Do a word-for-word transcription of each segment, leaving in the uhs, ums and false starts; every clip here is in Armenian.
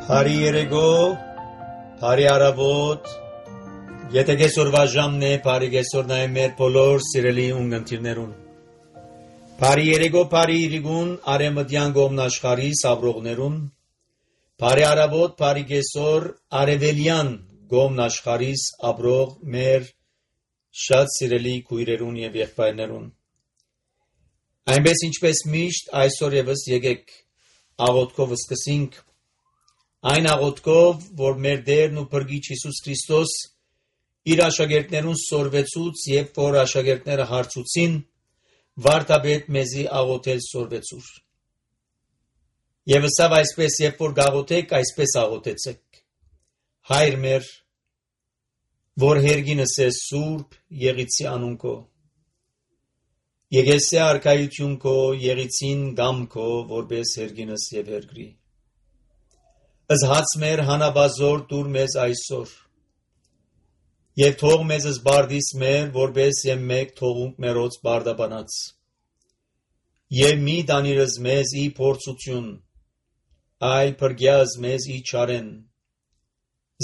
Բարի երեկո, բարի առավոտ, եթե կեսօրվա ժամն է, բարի կեսօրն է մեր բոլոր սիրելի ունգընտիրներուն։ Բարի երեկո, բարի իրիգուն, արեմտյան գոմն աշխարհի սավրողներուն, բարի առավոտ, բարի կեսօր, արևելյան գոմն աշխարհիս ապրող մեր շատ սիրելի քույրերուն եւ եղբայրներուն։ Այնպես ինչպես միշտ այսօր եւս եկեք աղոթքով սկսենք այն աղոթքով, որ մեր Տերն ու Փրկիչ Հիսուս Քրիստոս իր աշակերտներուն սորվեցուց եւ որ աշակերտները հարցուցին, վարդապետ մեզի աղոթել սորվեցուր։ Եվ սավ այսպես, երբ որ գաղոթեք, այսպես աղոթեցեք. Հայր մեր, որ հերգինս է սուրբ եղիցի անուն քո, եկեսե արքայություն քո, եղիցին գամ քո, որպես հերգինս եւ հերգրի։ Ըզ հաց մեր հանաբազոր դուր մեզ այսօր, և թող մեզ զբարդիս մեր, որպես եմ մեկ թողունք մերոց բարդաբանած, և մի դանիրыз մեզ ի փորձություն, այլ փրկյազ մեզ ի չարեն,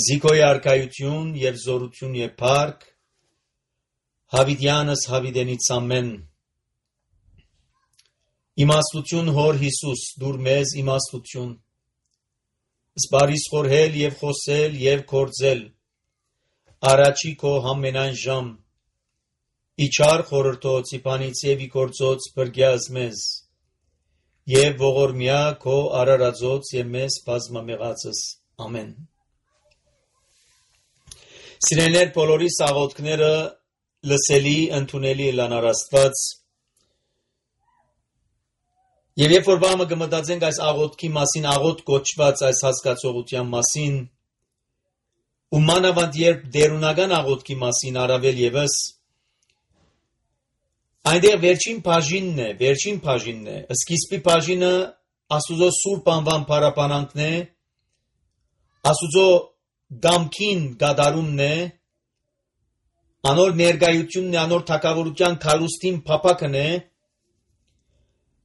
զիքոյ արքայություն և զորություն և փառք, հավիտյանս հավիտենից ամեն, իմաստություն հոր Հիսուս, դուր մեզ իմաստություն, Սպարիս խորհել և խոսել և կործել, առաջի քո համենայն ժամ, իչար խորհրդոց, իպանից և իգործոց բրգյազ մեզ, և ողորմյա քո արարածոց և մեզ բազմամեղածս, ամեն։ Սիրելիներ բոլորիս աղոթքները լսելի, ընդունելի լանար Աստված, Եվ երբ որ բամը կմտածենք այս աղոթքի մասին, աղոթք կոչված այս հասկացողության մասին, ու մանավանդ երբ դերունական աղոթքի մասին առավել ևս, այնտեղ վերջին բաժինն է, վերջին բաժինն է, սկիզբի բաժինը Աստուծո սուրբ անվան փառաբանանքն է, Աստուծո գամքին գադարումն է, անոր ներկայությունն է, անոր թագավորության քալուստին փափակն է,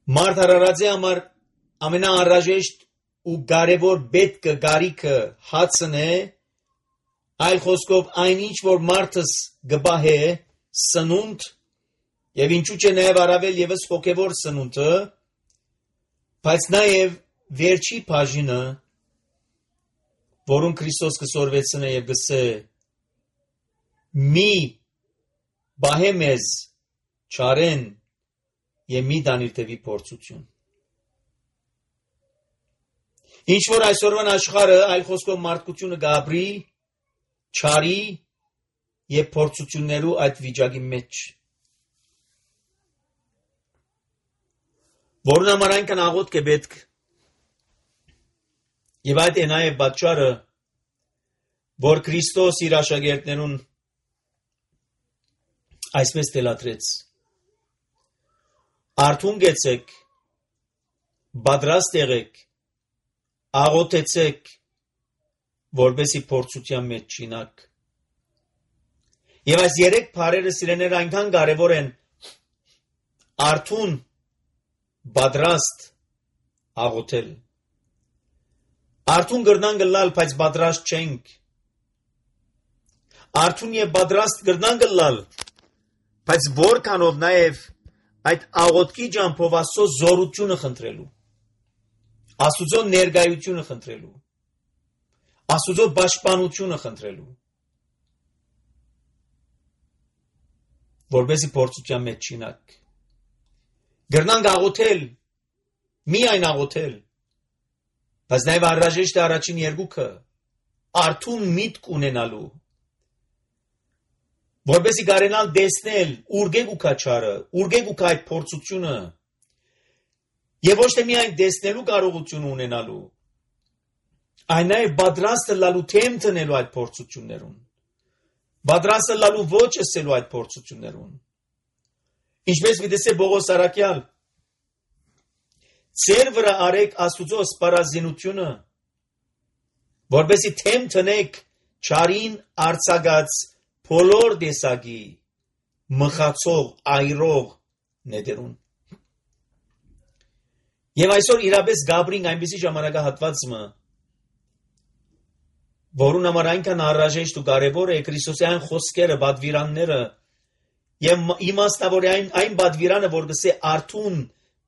Մարդ հարարածի համար ամենաանհրաժեշտ ու կարևոր պետքը գարիքը հացն է, այլ խոսքով այն ինչ որ մարդս գբահե սնունդ եւ ինչու՞ չէ նաեւ առավել եւս հոգեվոր սնունդը, բայց նաեւ վերջի բաժինը, որուն Քրիստոս կսորվեցնե եւ գսե մի բահե մեզ չարեն Եվ մի դանիր տևի փորձություն։ Ինչ որ այսօրվան աշխարհը այլ խոսքով մարդկությունը գաբրի, չարի եւ փորձություններու այդ վիճակի մեջ։ Որն համար այնքան աղոթք է պետք։ Եվ այդ է նաեւ պատճառը, որ Քրիստոս իր աշակերտներուն այսպես թելադրեց. Արթուն գեցեք, պատրաստ եղեք, աղոթեցեք, որպեսզի փորձության մեջ չինաք։ Եվ այս երեք բառերը սիրելիներ այնքան կարևոր են, արթուն, պատրաստ, աղոթել։ Արթուն կրնան գլալ, բայց պատրաստ չենք։ Արթուն եւ պատրաստ կրնան գլալ, բայց որքանով նաեւ այդ աղոթքի ջամփով Աստծո զորությունը խնդրելու, Աստուծո ներկայությունը խնդրելու, Աստուծո պաշտպանությունը խնդրելու, որպեսզի փորձության մեջ չինաք։ Գրնանք աղոթել, միայն աղոթել, բայց նաև անհրաժեշտ է առաջին երկուքը, արթուն միտք ունենալու, որպեսզի կարենալ տեսնել ուրգեկ ու քաչարը, ուրգեկ ու այդ փորձությունը, եւ ոչ թե միայն տեսնելու կարողություն ունենալու, այն նաեւ պատրաստ լալու թեմ տնելու այդ փորձություններուն, պատրաստ լալու ոչ ասելու այդ փորձություններուն։ Ինչպես վիդեսե Բողոս Արաքյալ, ծեր վրա արեք Աստուծո սպառազինությունը, որպեսզի թեմ տնեք չարին արձակած բոլոր տեսակի մխացող, այրող նետերուն։ Եվ այսօր իրապես Գաբրին այնպիսի ժամանակահատվածը, որուն համար այնքան առաժեշտ ու կարևոր է Քրիստոսյան խոսքերը, բադվիրանները, եւ իմաստավոր է այն այն բադվիրանը, որ գսե արթուն,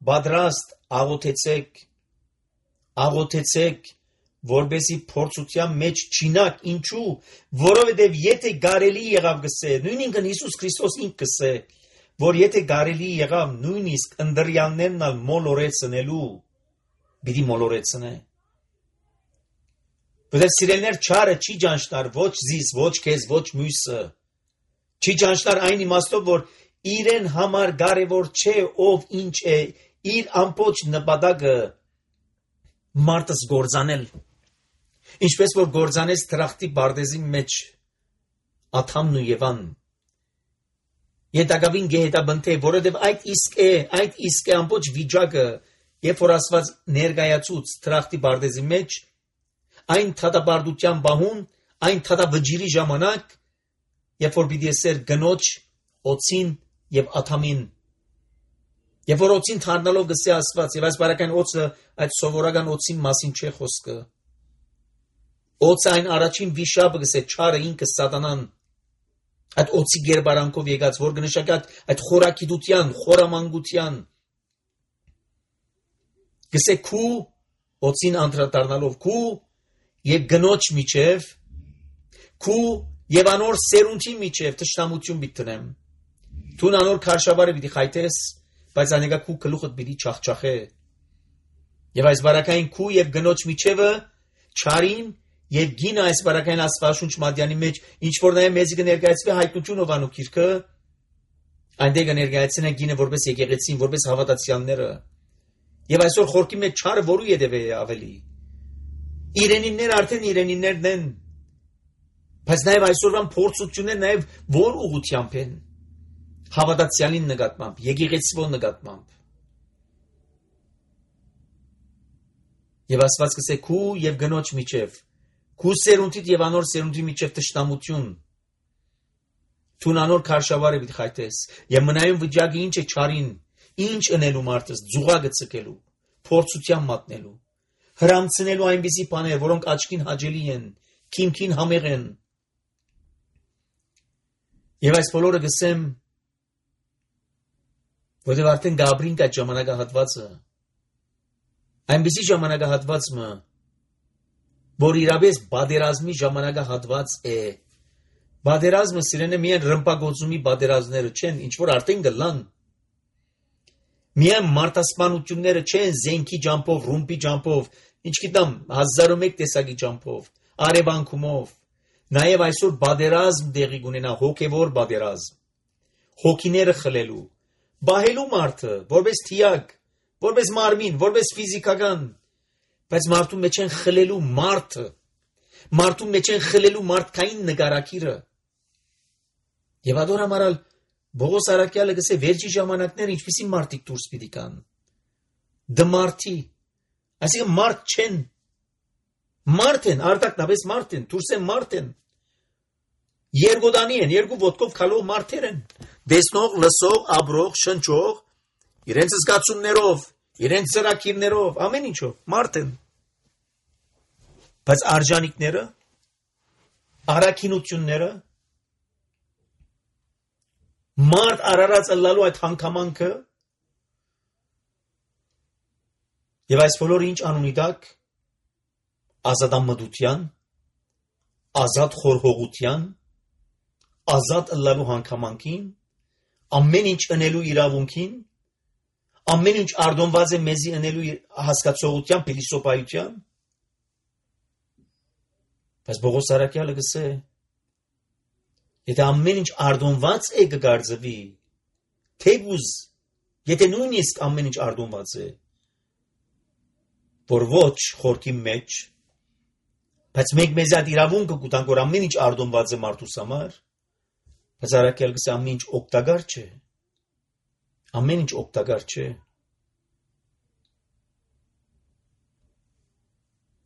բادرաստ, աղոթեցեք, աղոթեցեք, որբեսի փորձության մեջ չինակ, ինչու, որովհետեւ եթե գարելի եղավ գսե, նույնիսկ Հիսուս Քրիստոս ինքը գսե, որ եթե գարելի եղավ նույնիսկ ընդրյալներն ալ մոլորեցնելու, բիդի մոլորեցնե։ Որտեղ սիրելներ չարը չի ճանչնար ոչ զիս, ոչ քեզ, ոչ մյուսը։ Չի ճանչնար այն իմաստով, որ իրեն համար կարևոր չէ ով ինչ է, իր ամբողջ նպատակը մարդս գործանել։ Ինչպես որ գործանես թրախտի բարդեզի մեջ Աթամն ու Եվան։ Ետագավին գեհետաբնթե, որովհետև այդ իսկ է, այդ իսկ է ամբողջ վիճակը, երբ որ Աստված ներկայացուց թրախտի բարդեզի մեջ, այն թադաբարդության բահուն, այն թադավջիրի ժամանակ, երբ որ պիտի ասեր գնոջ, օծին եւ Աթամին։ Երբ որ օծին թարնալով գսե Աստված, եւ այս բարական օծը այդ սովորական օծին մասին չէ խոսքը։ Օծը այն առաջին վիշապը գսե չարը ինքը սատանան։ Այդ օծի գերբարանքով եկած, որ կնշանակի այդ խորակիդության, խորամանկության գսե քու օծին անդրադառնալով քու եւ գնոջ միջև քու եւ անոր սերունդի միջև տշնամություն պիտի Տուն անոր քարշավարը պիտի խայտես, բայց անեգա քու գլուխդ պիտի չախչախե։ Եվ այս բարակային քու եւ գնոջ միջևը չարին եւ գինը այս բարակային Աստվածաշունչ Մատյանի մեջ ինչ որ նաեւ մեզի կներկայացվի հայտնություն ովանու քիրքը, այնտեղ կներկայացնեն գինը որպես եկեղեցին, որպես հավատացյալները։ Եվ այսօր խորքի մեջ չարը որու յետևե է ավելի։ Իրենիններ արդեն իրենիններն են, բայց նաեւ այսօրվան փորձություններ նաեւ որ ուղությամբ են։ Հավատացյալին նկատմամբ, եկեղեցվո նկատմամբ։ Եվ Աստված կսե քու եւ գնոջ միջև, քու սերունդիդ եւ անոր սերունդի միջև տշնամություն։ Տուն անոր քարշավարը պիտի խայտես, եւ մնայուն վիճակի ինչ է չարին, ինչ ընելու մարդս, ձուղակը ցկելու, փորձության մատնելու, հրամցնելու այնպիսի բաներ, որոնք աչքին հաճելի են, քիմքին համեղ են։ Եվ այս բոլորը գսեմ որտեղ արդեն Գաբրին կա ժամանակահատվածը, այնպիսի ժամանակահատվածը, որ իրապես բادرազմի ժամանակահատված է։ Բادرազմը սիրենը միայն ռմբագործումի բادرազմները չեն, ինչ որ արդեն գլան։ Միայն մարտասպանությունները չեն զենքի ջամփով, ռումբի ջամփով, ինչ գիտեմ, հազար ու մեկ տեսակի ջամփով, արևանքումով։ Նաև այսօր բادرազմ դեղի կունենա, հոգևոր բادرազմ։ Հոգիները խլելու Բահելու մարդը, որպես թիակ, որպես մարմին, որպես ֆիզիկական, բայց մարդու մեջ են խլելու մարդը, մարդու մեջ են խլելու մարդկային նկարակիրը։ Եվ ador համարալ Բողոս Արաքյալը գսե վերջի ժամանակները ինչպիսի մարդիկ դուրս պիտի կան։ Դմարտի, այսինքն մարդ չեն, մարդ են, արտակնապես մարդ են, դուրս են մարդ են։ Երգոդանի են, երկու ոտքով քալող մարդեր են, դեսնող, լսող, ապրող, շնչող, իրենց զգացումներով, իրենց ծրագիրներով, ամեն ինչով, մարդ են։ Բայց արժանիքները, առաքինությունները, մարդ արարած ըլլալու այդ հանգամանքը, եւ այս բոլորը ինչ անունի տակ, ազատամտության, ազատ խորհողության, ազատ ըլլալու հանգամանքին, ամեն ինչ ընելու իրավունքին, ամեն ինչ արդոնված է մեզի ընելու հասկացողության, փիլիսոփայության։ Բայց Բողոս Արաքյալը գսե, եթե ամեն ինչ արդոնված է կգարձվի, թեգուզ, եթե նույնիսկ ամեն ինչ արդոնված է, որ ոչ խորքի մեջ, բայց մեկ մեզ այդ իրավունքը կուտանք, որ ամեն ինչ արդոնված է մարդուս համար, բայց Արաքյալը գսե ամեն ինչ օգտակար չէ, ամեն ինչ օգտակար չէ։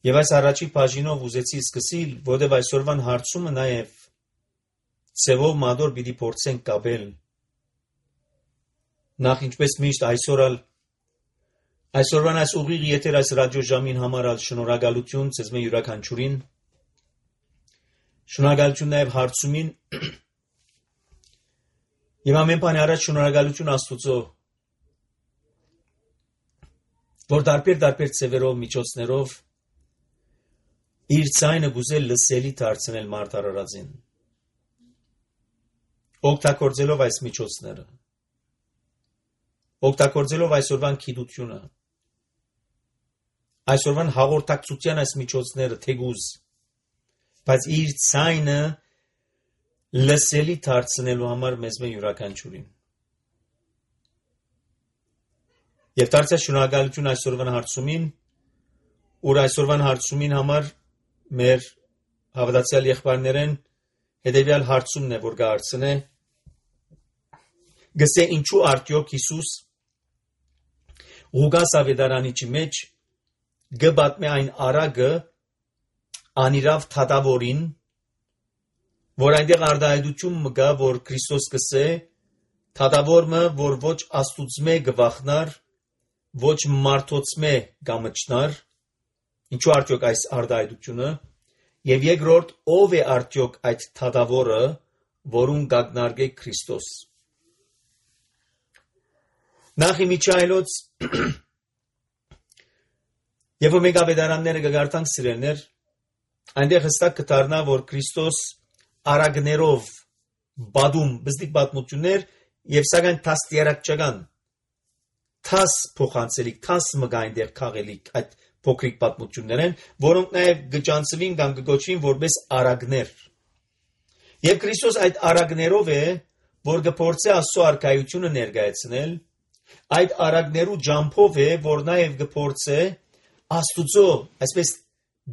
Եվ այս առաջի բաժինով ուզեցի սկսիլ, որտև այսօրվան հարցումը նաև ծևով մադոր պիտի փորձենք կապել։ Նախ ինչպես միշտ այսօր ալ այսօրվան այս ուղիղ եթեր այս ռադիո ժամին համար ալ շնորհակալություն ցեզ մե յուրաքանչյուրին։ Շնորհակալություն նաև հարցումին եւ ամեն բանի առաջ շնորհակալություն Աստծո, որ դարբեր-դարբեր ծևերով միջոցներով իր ցայնը գուզել լսելի դարձնել մարդ արարածին, օգտագործելով այս միջոցները, օգտագործելով այսօրվան գիտությունը, այսօրվան հաղորդակցության այս միջոցները թեգուզ, բայց իր ցայնը լսելի դարձնելու համար մեզ մե յուրաքանչյուրին։ Եվ դարձյալ շնորհակալություն այսօրվան հարցումին, ուր այսօրվան հարցումին համար մեր հավատացյալ եղբայրներեն հետևյալ հարցումն է, որ կհարցնե, գսե ինչու արդյոք Հիսուս Ղուկաս ավետարանիչի մեջ գբատմե այն արագը անիրավ թադավորին, որ այնտեղ արդայդություն մգա, որ Քրիստոս կսե, թադավորը, որ ոչ աստուծմե գվախնար, ոչ մարդոցմե գամչնար, ինչու արդյոք այս արդայդությունը, եւ երկրորդ, ով է արդյոք այդ թադավորը, որուն գագնարգե Քրիստոս։ Նախ իմիջայլոց Եվ մենք ավետարանները կգարտանք սիրելներ, այնտեղ հստակ կդառնա, որ Քրիստոս արագներով բադում բզդիկ պատմություններ եւ սակայն տաստիարակչական տաս փոխանցելիք, տաս մգա այնտեղ քաղելիք այդ փոքրիկ պատմություններ են, որոնք նաեւ գճանցվին կամ գոչվին որպես արագներ։ Եվ Քրիստոս այդ արագներով է, որ կփորձե Աստծո արքայությունը ներկայացնել, այդ արագներու ջամփով է, որ նաեւ կփորձե Աստուծո, այսպես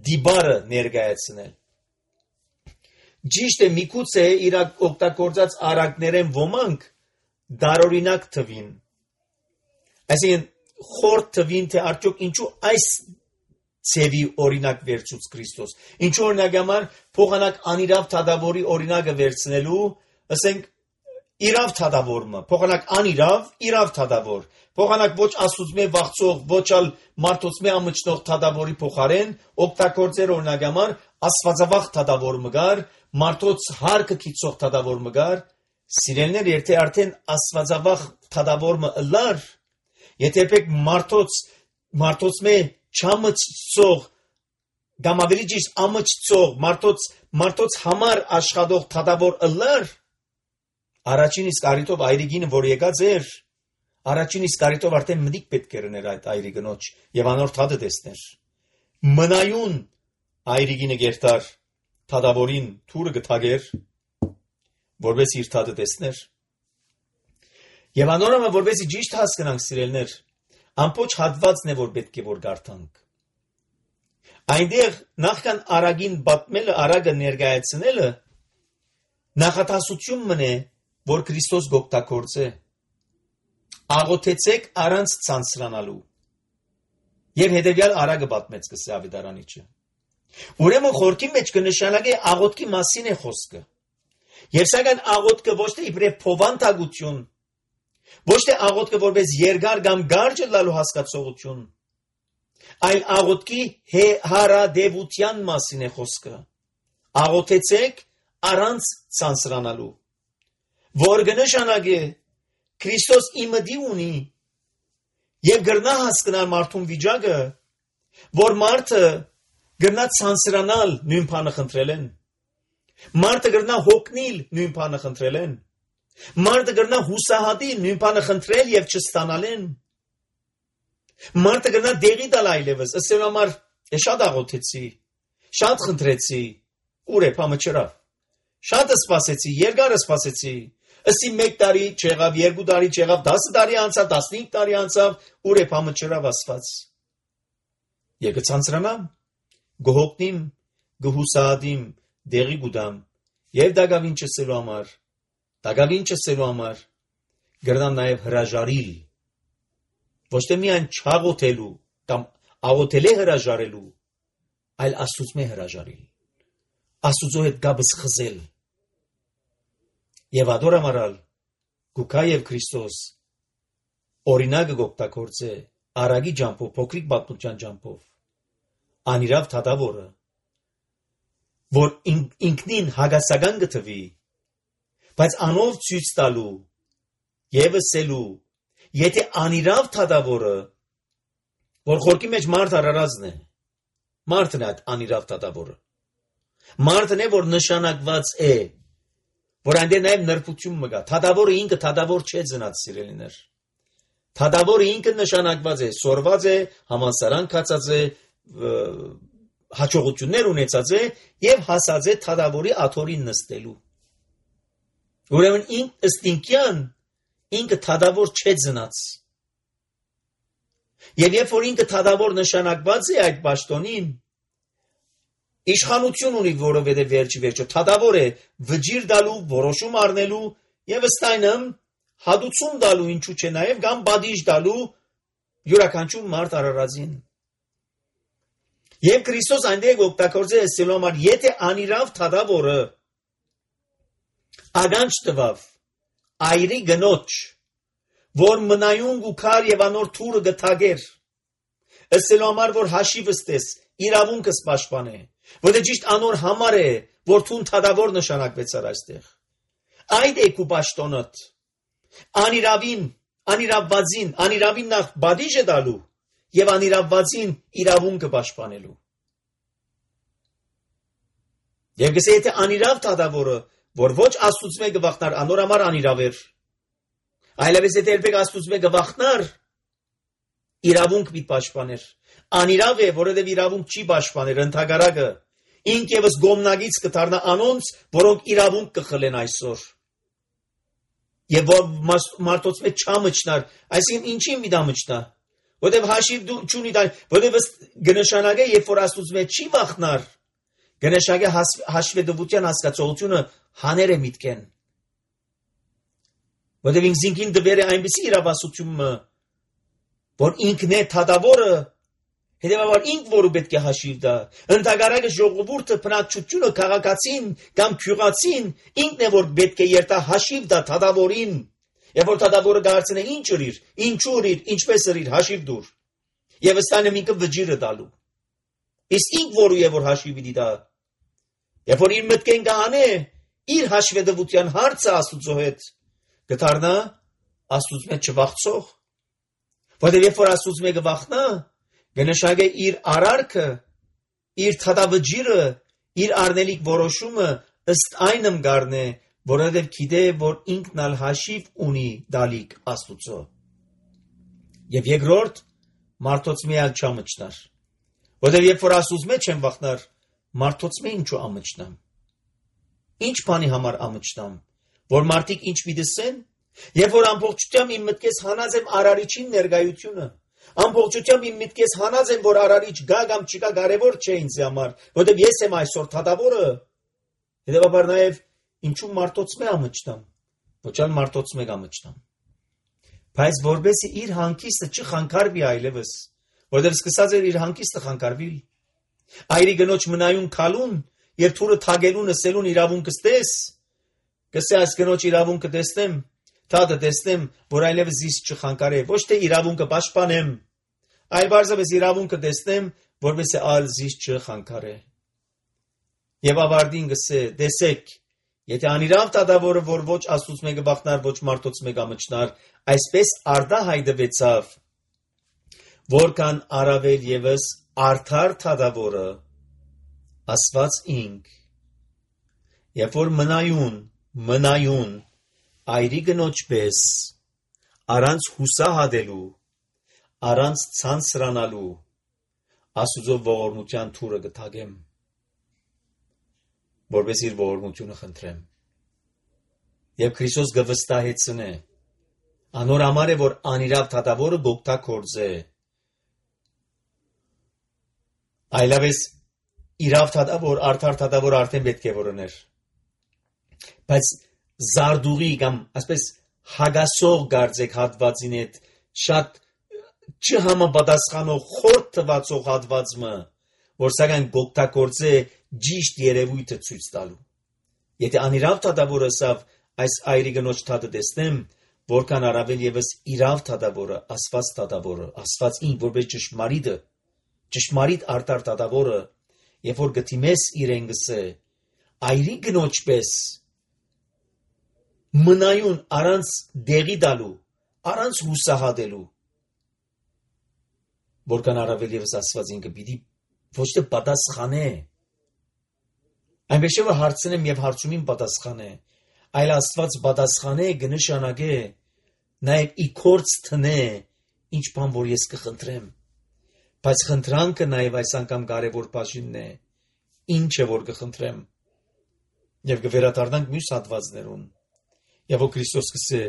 դիբարը ներկայացնել։ Ճիշտ է, միգուցե իր օգտագործած արագներեն ոմանք դարօրինակ թվին։ Այսինքն խորտ թվին, թե արդյոք ինչու այս ցևի օրինակ վերցուց Քրիստոս։ Ինչու օրինակ համար փոխանակ անիրավ թադավորի օրինակը վերցնելու, ասենք իրավ թադավորը, փոխանակ անիրավ, իրավ թադավոր։ Փոխանակ ոչ աստուծմե վախծող, ոչ ալ մարդոցմե ամճնող թադավորի փոխարեն օգտագործեր օրինակ համար աստվածավախ թադավոր մգար, մարդոց հարկը քիծող թադավոր մգար, սիրելներ եթե արդեն աստվածավախ թադավորը ըլլար, եթե եք մարդոց մարդոցմե չամճծող կամ ավելի ճիշտ ամճծող մարդոց մարդոց համար աշխատող թադավոր ըլլար, առաջին իսկ արիտով այրիգինը որ եկած էր, առաջին իսկ արիտով արդեն մտիկ պետք էր ներ այդ այրիգնոջ եւ անոր թադը տեսներ։ Մնայուն այրիգինը գերտար թադավորին թուրը գտագեր, որպես իր թադը տեսներ։ Եվ անորոմը որպեսի ճիշտ հասկանանք սիրելներ, ամբողջ հատվածն է որ պետք է որ գարտանք։ Այնտեղ նախքան արագին բատմելը, արագը ներկայացնելը նախատասություն մնե, որ Քրիստոս գոկտակորձե։ Աղոթեցեք առանց ցանցրանալու։ Եվ հետևյալ արագը բատմեց կսե ավետարանիչը։ Ուրեմն խորքի մեջ կնշանակե աղոթքի մասին է խոսքը։ Եվ սակայն աղոթքը ոչ թե իբրև փովանտագություն, ոչ թե աղոթքը որպես երկար կամ կարճ լալու հասկացողություն, այլ աղոթքի հարադեվության մասին է խոսքը։ Աղոթեցեք առանց ցանցրանալու, որ կնշանակե Քրիստոս իմդի ունի եւ գրնա հասկանալ մարդուն վիճակը, որ մարդը գրնա ցանցրանալ նույն բանը խնդրել են, մարդը գրնա հոգնիլ նույն բանը խնդրել են, մարդը գրնա հուսահատի նույն բանը խնդրել եւ չստանալ են, մարդը գրնա դեղի տալ այլևս, ասել համար շատ աղոթեցի, շատ խնդրեցի, ուր է բամը չրավ, շատ սպասեցի, երկար սպասեցի, ըսի մեկ տարի չեղավ, երկու տարի չեղավ, դասը տարի անցավ, տասնհինգ տարի անցավ, ուր է բամը չրավ ասված։ Եվ կցանցրանամ, գհոգնիմ, գհուսահատիմ, դեղի գուդամ, եւ դագավին չսելու համար, դագավին չսելու համար, գրնամ նաեւ հրաժարիլ, ոչ թե միայն չաղոթելու կամ աղոթել է հրաժարելու, այլ Աստծո հրաժարիլ, Աստծո հետ գաբս խզել։ Եվ ադորամարալ գուքա եւ Քրիստոս օրինակը գոկտակորձե արագի ջամփով, փոքրիկ բացության ջամփով, անիրավ թադավորը, որ ինքնին հագասական գտվի, բայց անով ցույց տալու եւ ասելու, եթե անիրավ թադավորը, որ խորքի մեջ մարդ արարածն է, մարդն է այդ անիրավ թադավորը, մարդն է, որ նշանակված է, որ այնտեղ նաեւ նրբություն մգա, թադավորը ինքը թադավոր չէ ծնած սիրելիներ, թադավորը ինքը նշանակված է, սորված է, համալսարան կացած է, հաջողություններ ունեցած է եւ հասած է թադավորի աթորին նստելու։ Ուրեմն ինք ըստինքյան ինքը թադավոր չէ ծնած։ Եվ երբ որ ինքը թադավոր նշանակված է այդ պաշտոնին, իշխանություն ունի, որովհետեւ վերջի վերջո թադավոր է վճիր դալու, որոշում առնելու եւ ըստ այնմ հադուցում դալու, ինչու՞ չէ նաեւ կամ բադիժ դալու յուրաքանչյուր մարդ արարածին։ Եվ Քրիստոս այնտեղ օգտագործել է ասելու համար, եթե անիրավ թադավորը ագանջ տվավ այրի գնոջ, որ մնայուն գուքար եւ անոր թուրը գթագեր, ասելու համար, որ հաշիվը ստես, իրավունքս պաշտպանե, որը ճիշտ անոր համար է, որ թուն թադավոր նշանակվեցար այստեղ։ Այդ է քու պաշտոնդ, անիրավին, անիրավվածին, անիրավին նախ բադիժ է դալու եւ անիրավվածին իրավունքը պաշտպանելու։ Եվ գսե եթե անիրավ թադավորը, որ ոչ Աստծուց մեկը վախնար, անոր համար անիրավ էր, այլևս եթե երբեք Աստծուց մեկը վախնար, իրավունք մի պաշտպաներ, անիրավ է, որովհետև իրավունք չի պաշտպաներ, ընդհակառակը, ինք եւս գոմնագից կդառնա անոնց, որոնք իրավունք կխլեն այսօր։ Եվ որ մարդոց մեջ չամճնար, այսինքն ինչի մի դա մճնա, որովհետև հաշիվ չունի դա, որովհետև կնշանակե, երբ որ Աստծուց մեջ չի վախնար, կնշանակե հաշվետվության հասկացողությունը հաներ է միտքեն։ Որովհետև ինքնին դվեր է այնպիսի իրավասությունը, որ ինքն է թադավորը, հետևաբար ինք որը պետք է հաշիվ տա, ընդհակառակը ժողովուրդը բնակչությունը քաղաքացին կամ քյուղացին ինքն է որ պետք է երթա հաշիվ տա թադավորին, եւ որ թադավորը դարձնե ինչ ուրիր, ինչու ուրիր, ինչպես ուրիր հաշիվ դուր, եւ ըստանը ինքը վճիրը տալու։ Իսկ ինք որը է որ հաշիվի դիտա, եւ որ իր մտքեն կհանե իր հաշվետվության հարցը Աստծո հետ, կդառնա Աստծուց մեջ չվախցող, որովհետեւ երբ որ Աստծուց մեկը վախնա, կնշանակե իր արարքը, իր թադավճիրը, իր արնելիք որոշումը ըստ այնմ գարնե, որովհետև գիտե, որ ինքն ալ հաշիվ ունի դալիք Աստուծո։ Եվ երկրորդ, մարդոց միալ չամճնար, որովհետև երբ որ Աստուց մեջ եմ վախնար, մարդոց մե ինչու ամճնամ։ Ինչ բանի համար ամճնամ, որ մարդիկ ինչ միտեսեն, երբ որ ամբողջությամբ իմ մտքես հանած եմ արարիչին ներկայությունը, ամբողջությամբ իմ միտքես հանած եմ, որ արարիչ գա կամ չկա կարևոր չէ ինձ համար, որովհետև ես եմ այսօր թադավորը, հետևաբար նաև ինչու մարդոց մե ամճնամ, ոչ այլ մարդոց մեկ ամճնամ։ Բայց որբեսի իր հանգիստը չխանգարվի այլևս, որովհետև սկսած էր իր հանգիստը խանգարվել։ Այրի գնոջ մնայուն քալուն, երբ թուրը թագելուն ասելուն իրավունքը ստես, կսե այս գնոջ իրավունքը տեսնեմ, թադը տեսնեմ, որ այլևս իս չխանգարե, ոչ թե իրավունքը պաշտպանեմ, այլ բարձրապես իրավունքը տեսնեմ, որպես է ալ զիս չխանգարե։ Եվ ավարտին գսե, տեսեք, եթե անիրավ թադավորը, որ ոչ Աստծուց մեկը վախնար, ոչ մարդոց մեկ ամճնար, այսպես արդահայտվեցավ, որքան առավել ևս արդար թադավորը, ասված ինք, երբ որ մնայուն, մնայուն, այրի գնոջ պես, առանց հուսահատելու, առանց ցանցրանալու, Աստուծո ողորմության թուրը գթագեմ, որպես իր ողորմությունը խնդրեմ։ Եվ Քրիստոս գվստահեցնե, անոր համար է, որ անիրավ թադավորը գոգտագործե, այլապես իրավ թադավոր, արդար թադավոր արդեն պետք է որոներ, բայց զարդուղի կամ ասպես հագասող գարձեք հատվածին հետ շատ չհամապատասխանող խորտ թվացող հատվածը, որ սակայն գոգտագործե ճիշտ երևույթը ցույց տալու։ Եթե անիրավ թադավորը ասավ այս այրի գնոջ թադը տեսնեմ, որքան առավել ևս իրավ թադավորը, ասված թադավորը, ասված ինք որպես ճշմարիտը, ճշմարիտ արդար թադավորը, երբ որ գտիմես իրեն գսե, այրի գնոջ պես, մնայուն առանց դեղի դալու, առանց հուսահատելու, որքան առավել ևս Աստված ինքը պիտի ոչ թե պատասխանե, այնպես որ հարցնեմ եւ հարցումին պատասխանե, այլ Աստված պատասխանե կնշանակե, նաեւ ի կորց տնե, ինչ բան որ ես կխնդրեմ, բայց խնդրանքը նաեւ այս անգամ կարևոր բաժինն է, ինչ է որ կխնդրեմ, եւ կվերադառնանք մյուս հատվածներուն, եւ որ Քրիստոս կսե,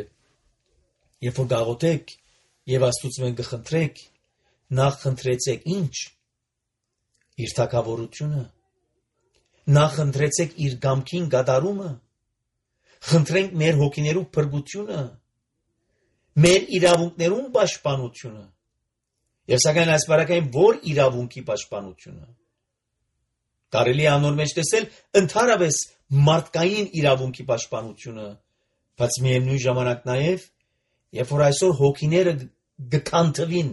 երբ որ գաղութեք եւ Աստծուց կխնդրեք, նախ խնդրեցեք ինչ, իր թագավորությունը, նախ խնդրեցեք իր գամքին գադարումը, խնդրենք մեր հոգիներու փրկությունը, մեր իրավունքներուն պաշտպանությունը, եւ սակայն այս բարակային որ իրավունքի պաշտպանությունը, կարելի է անոր մեջ տեսել ընդհանրապես մարդկային իրավունքի պաշտպանությունը, բայց միևնույն ժամանակ նաեւ, երբ որ այսօր հոգիները գքանթվին,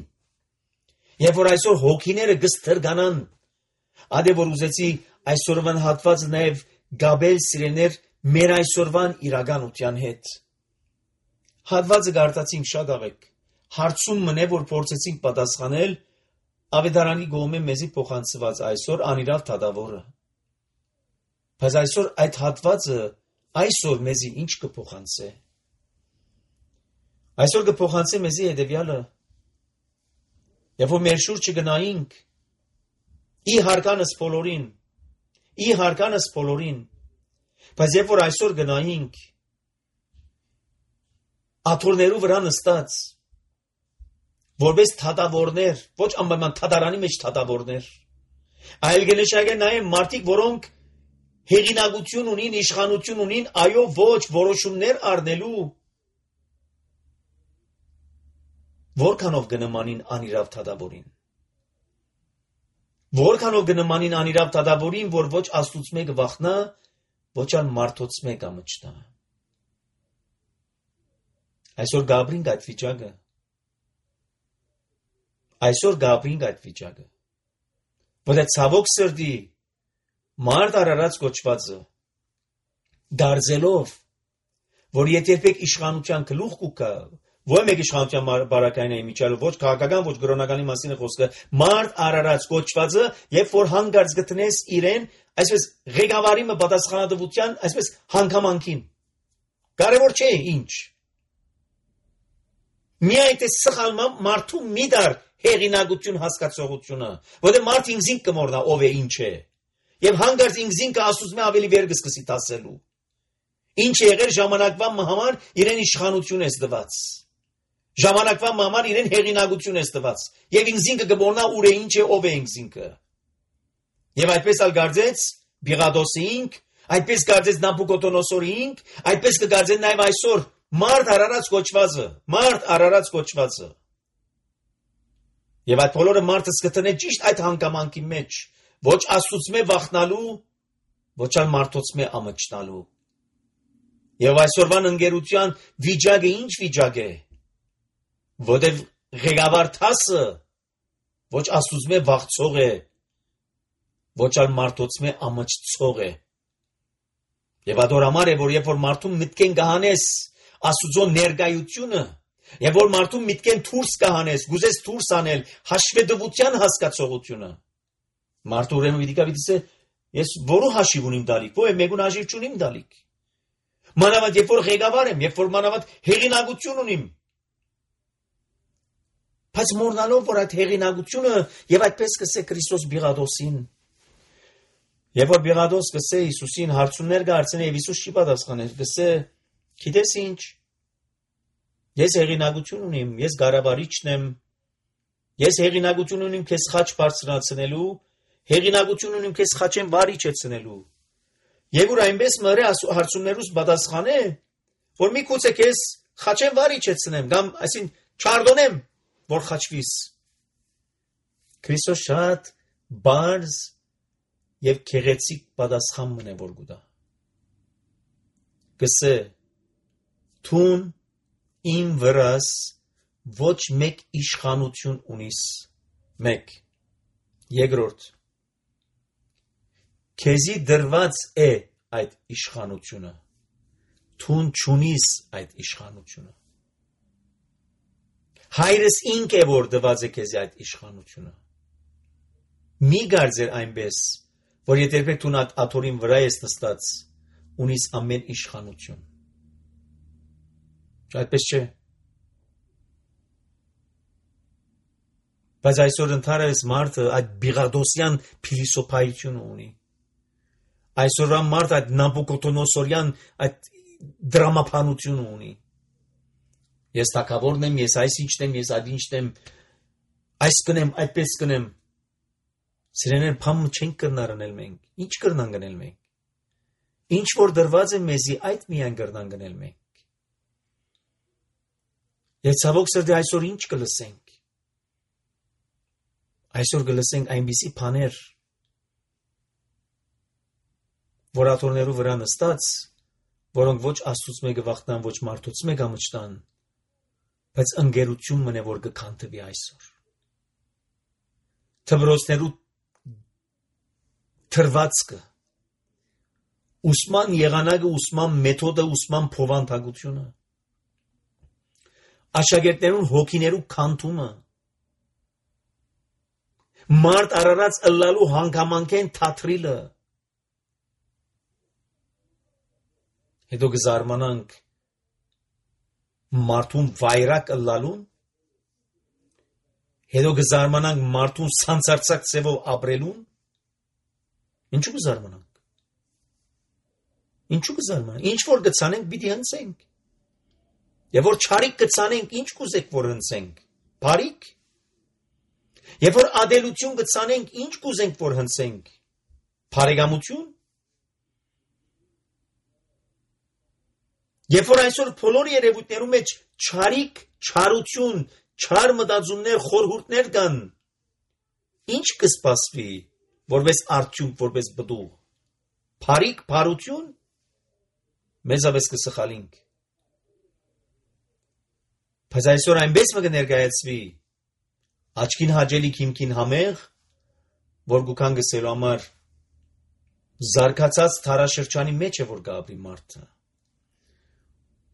երբ որ այսօր հոգիները գստրգանան, ադե որ ուզեցի այսօրվան հատվածը նաև գաբել սիրեներ մեր այսօրվան իրականության հետ։ Հատվածը գարտացինք շատ աղեք, հարցում մնե, որ փորձեցինք պատասխանել ավետարանի գոմե մեզի փոխանցված այսօր անիրավ թադավորը։ Բայց այսօր այդ հատվածը այսօր մեզի ինչ կփոխանցե։ Այսօր կփոխանցե մեզի հետևյալը, երբ որ մեր շուրջը գնայինք, ի հարկանս բոլորին, ի հարկանս բոլորին, բայց երբ որ այսօր գնայինք, աթոռներու վրա նստած, որպես թատավորներ, ոչ անպայման թատարանի մեջ թատավորներ, այլ կնշանակե նաև մարդիկ, որոնք հեղինակություն ունին, իշխանություն ունին, այո ոչ որոշումներ առնելու, որքանով կնմանին անիրավ թադավորին, որքանով կնմանին անիրավ թադավորին, որ ոչ Աստծուց մեկը վախնա, ոչ ալ մարդոց մեկը մճտա։ Այսօր գաբրինք այդ վիճակը, այսօր գաբրինք այդ վիճակը, որ այդ ցավոք սրտի մարդ արարած կոչվածը, դարձելով, որ եթե երբեք իշխանության գլուխ կուկա, ոչ մեկ իշխանության բարակային է իմիջալը, ոչ քաղաքական, ոչ գրոնականի մասին է խոսքը, մարդ արարած կոչվածը, երբ որ հանգարց գտնես իրեն, այսպես ղեկավարի մը պատասխանատվության, այսպես հանգամանքին, կարևոր չէ ինչ, միայն թե սխալ մարդու մի դար հեղինակություն հասկացողությունը, որտեղ մարդ ինքզին կմորնա ով է ինչ է, եւ հանգարց ինքզին կասուց մե ավելի վեր կսկսի տասելու, ինչ է եղել ժամանակվա համար իրեն իշխանություն ես տված, ժամանակվա համար իրեն հեղինակություն ես տված, եւ ինքզին կմորնա ուր է ինչ է ով է ինքզինքը, եւ այդպես ալ գարձեց Բիղադոսինք, այդպես գարձեց Նաբուկոդոնոսորինք, այդպես կգարձեն նաեւ այսօր մարդ արարած կոչվածը, մարդ արարած կոչվածը։ Եվ այդ բոլորը մարդը սկտնե ճիշտ այդ հանգամանքի մեջ, ոչ Աստծուց մե վախնալու, ոչ ալ մարդոց մե ամճտալու։ Եվ այսօրվան ընկերության վիճակը ինչ վիճակ է, որտեղ ղեկավար տասը ոչ Աստծուց մե վախցող է, ոչ ալ մարդոց մե ամճտող է։ Եվ ադոր համար է, որ երբ որ մարդում մտքեն կհանես Աստուծո ներկայությունը, եւ որ մարդու միտքեն դուրս կհանես, գուզես դուրս անել հաշվետվության հասկացողությունը։ Մարդու ուրեմն պիտի կապիտիսե, ես որու հաշիվ ունիմ դալիք, ո՞ե մեկուն հաշիվ չունիմ դալիք։ Մանավանդ երբ որ ղեկավար եմ, երբ որ մանավանդ հեղինակություն ունիմ։ Բայց մոռնալով որ այդ հեղինակությունը եւ այդպես կսե Քրիստոս Բիղադոսին։ Երբ որ Բիղադոս կսե Հիսուսին հարցումներ կհարցնի եւ Հիսուս չի պատասխաներ, կսե գիտես ինչ, ես հեղինակություն ունիմ, ես գարավարիչն եմ, ես հեղինակություն ունիմ քեզ խաչ բարձրացնելու, հեղինակություն ունիմ քեզ խաչեն վարիչեցնելու։ Եվ որ այնպես մրե հարցումներուս պատասխանե, որ մի քուցե քեզ խաչեն վարիչեցնեմ, կամ այսին չարդոնեմ, որ խաչվիս։ Քրիստոս շատ բարձ եւ քեղեցիկ պատասխան մնե որ գուտա։ Գսե Թուն իմ վրաս ոչ մեկ իշխանություն ունիս, մեկ, երկրորդ, քեզի դրված է այդ իշխանությունը, թուն չունիս այդ իշխանությունը, հայրս ինք է որ դված է քեզի այդ իշխանությունը, մի գարձեր այնպես, որ եթե երբեք դու աթորին վրա ես նստած, ունիս ամեն իշխանություն, այդպես չէ, բայց այսօր ընդհանրապես մարդը այդ բիղադոսյան փիլիսոփայությունը ունի, այսօրվա մարդ այդ նաբուկոդոնոսորյան այդ դրամապանությունը ունի, ես թագավորն եմ, ես այս ինչն եմ, ես այդ ինչն եմ, այս կնեմ, այդպես կնեմ, սիրեներ փամը չենք կրնար անել մենք, ինչ կրնան գնել մենք, ինչ որ դրված է մեզի այդ միայն կրնան գնել մենք, եւ ցավոք սրտի այսօր ինչ կլսենք, այսօր կլսենք այնպիսի բաներ, որ աթոռներու վրա նստած, որոնք ոչ Աստծուց մեկը վախտան, ոչ մարդուց մեկը մչտան, բայց ընկերություն մնե որ կքանթվի այսօր։ Թմրոցներու թրվածքը, ուսման եղանակը, ուսման մեթոդը, ուսման փոխանցությունը, աշակերտներուն հոգիներու քանթումը, մարդ արարած ըլլալու հանգամանքեն թատրիլը, հետո կզարմանանք մարդուն վայրակ ըլլալուն, հետո կզարմանանք մարդուն սանցարցակ ծևով ապրելուն, ինչու կզարմանանք, ինչու կզարմանանք, ինչ որ կցանենք պիտի հնցենք, եւ որ չարիք կցանենք, ինչ կուզեք որ հնցենք, բարիք, Եվ որ ադելություն կցանենք, ինչ կուզենք որ հնցենք, բարեկամություն, Եվ որ այսօր բոլոր երևույթներու մեջ չարիք, չարություն, չար մտածումներ, խորհուրդներ կան, ինչ կսպասվի, որպես արդյունք, որպես բդուղ, բարիք, բարություն, մեզավես կսխալինք, բայց այսօր այնպես մը կներկայացվի, աչքին հաջելիք հիմքին համեղ, որ գուքան գսելու համար զարգացած թարաշրջանի մեջ է որ գաբրի մարդը։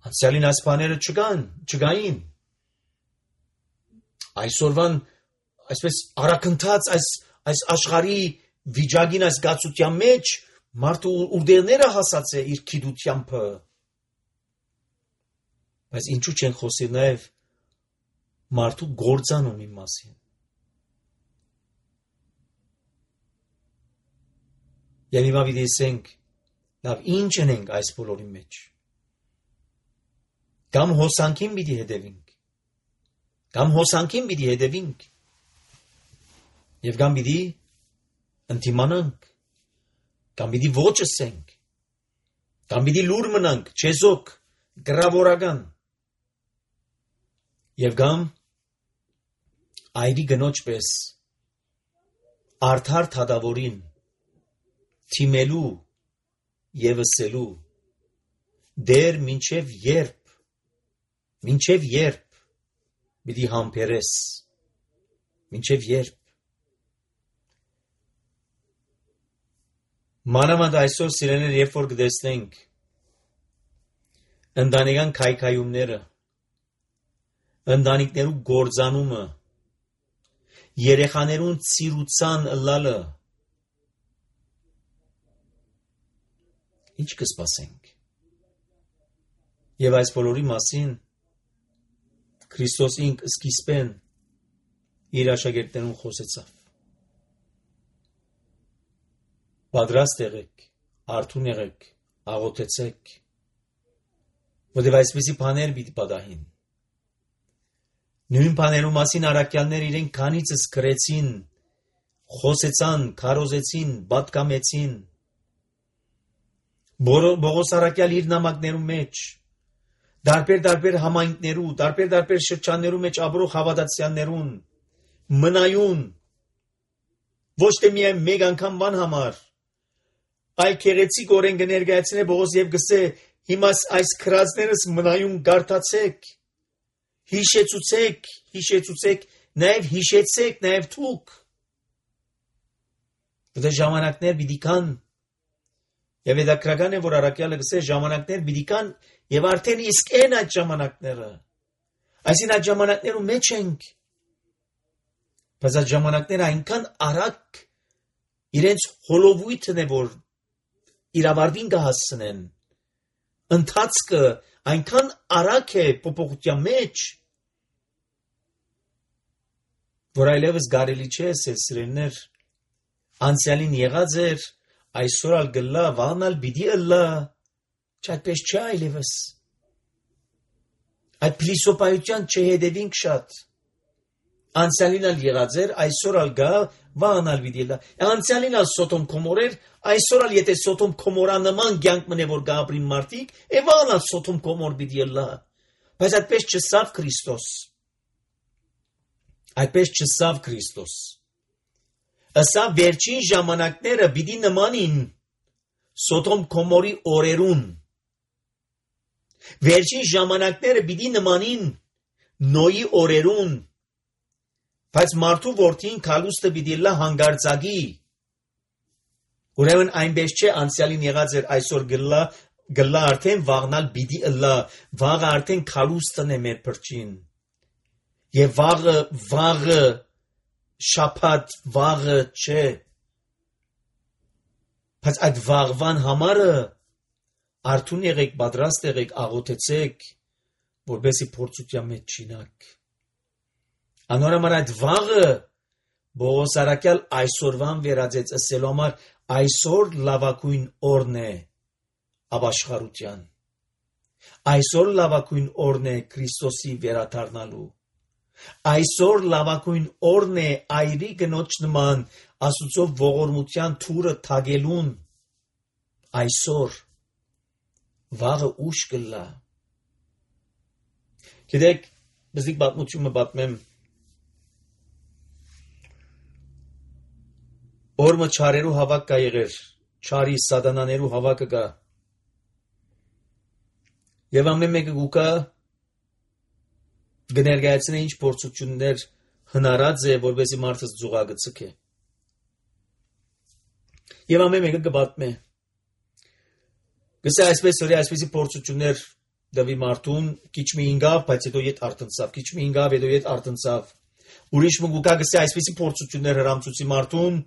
Անցյալին այս բաները չկան, չկային։ Այսօրվան այսպես արակընթաց այս այս աշխարհի վիճակին այս գացության մեջ մարդը ուրդերները հասած է իր քիդությամբ։ Բայց ինչու չեն խոսի նաև մարդու գործանունի մասին։ Եվ հիմա պիտի ասենք, լավ ինչ ենք այս բոլորի մեջ։ Կամ հոսանքին պիտի հետևենք, կամ հոսանքին պիտի հետևենք, եւ կամ պիտի ընդդիմանանք, կամ պիտի ոչ ասենք, կամ պիտի լուր մնանք, չեզոք, գրավորական, եւ կամ այրի գնոջ պես արդար թադավորին թիմելու եւ ասելու դեր մինչեւ երբ մինչեւ երբ պիտի համբերես մինչեւ երբ մանավանդ այսօր սիրեներ երբ որ կտեսնենք ընտանեկան քայքայումները ընտանիքներու գործանումը, երեխաներուն ծիրուցան ըլլալը, ինչ կսպասենք։ Եվ այս բոլորի մասին Քրիստոս ինք սկիզբեն իր աշակերտներուն խոսեցավ։ Պատրաստ եղեք, արթուն եղեք, աղոթեցեք, որտեղ այսպիսի բաներ պիտի պատահին։ Նույն բաներու մասին առաքյալներ իրենք քանիցս գրեցին, խոսեցան, քարոզեցին, պատկամեցին։ Բողոս առաքյալ իր նամակներու մեջ, դարբեր-դարբեր համայնքներու, դարբեր-դարբեր շրջաններու մեջ ապրող հավատացյալներուն, մնայուն, ոչ թե միայն մեկ անգամ բան համար, այլ քեղեցիկ օրեն կներկայացնե Բողոս եւ գսե, հիմա այս քրածներս մնայուն գարթացեք, հիշեցուցեք, հիշեցուցեք, նաև հիշեցեք, նաև թուք։ Դա ժամանակներ պիտի կան, Եվ հետաքրքրական է, որ առաքյալը գսե ժամանակներ պիտի կան եւ արդեն իսկ են այդ ժամանակները։ Այսին այդ ժամանակներում մեջ ենք։ Բայց այդ ժամանակները այնքան արագ իրենց հոլովույթն է, որ իրավարտին կհասցնեն։ Ընթացքը այնքան արագ է փոփոխության մեջ, որ այլևս կարելի չէ սիրելիներ, անցյալին եղած էր, այսօր ալ գլա, վանալ պիտի ըլլա, չայդպես չէ այլևս։ Այդ փիլիսոփայության չհետևինք շատ։ Անցյալին ալ եղած էր, այսօր ալ գա, վանալ պիտի ըլլա։ Անցյալին ալ Սոդոմ Գոմոր էր, այսօր ալ եթե Սոդոմ Գոմորա նման կյանք մնե որ գաբրի մարդիկ, է վանալ Սոդոմ Գոմոր պիտի ըլլա։ Բայց այդպես չսավ Քրիստոս։ Այդպես չսավ Քրիստոս։ Ասա վերջին ժամանակները պիտի նմանին Սոդոմ Գոմորի օրերուն։ Վերջին ժամանակները պիտի նմանին Նոյի օրերուն։ Բայց մարդու որդին քալուստը պիտի լա հանգարցակի։ Ուրեմն այնպես չէ անցյալին եղած էր այսօր գլա գլա արդեն վաղնալ պիտի ըլլա, վաղը արդեն քալուստն է մեր փրջին։ Եվ վաղը վաղը շաբաթ վաղը չէ։ Բայց այդ վաղվան համարը արթուն եղեք, պատրաստ եղեք, աղոթեցեք, որպեսզի փորձության մեջ չինակ։ Անորոմար այդ վաղը Բողոս առաքյալ այսօրվան վերածեց ասելու համար այսօր լավագույն օրն է ապաշխարության։ Այսօր լավագույն օրն է Քրիստոսի վերադառնալու։ Այսօր լավագույն օրն է այրի գնոջ նման Աստծո ողորմության թուրը թագելուն։ Այսօր վաղը ուշ կլա։ Գիտեք, բզիկ պատմությունը պատմեմ Օրմը չարերու հավաք կա եղեր, չարի սատանաներու հավաքը կա։ Եվ ամեն մեկը գուկա գներգայացնե ինչ փորձություններ հնարած է, որպեսզի մարդը զուգակը ցկե։ Եվ ամեն մեկը կպատմե։ Գսե այսպես օրի այսպեսի փորձություններ դվի մարդուն, քիչ մի ինգավ, բայց հետո ետ արտնցավ, քիչ մի ինգավ, հետո ետ արտնցավ։ Ուրիշ մի գուկա գսե այսպեսի փորձություններ հրամցուցի մարդուն,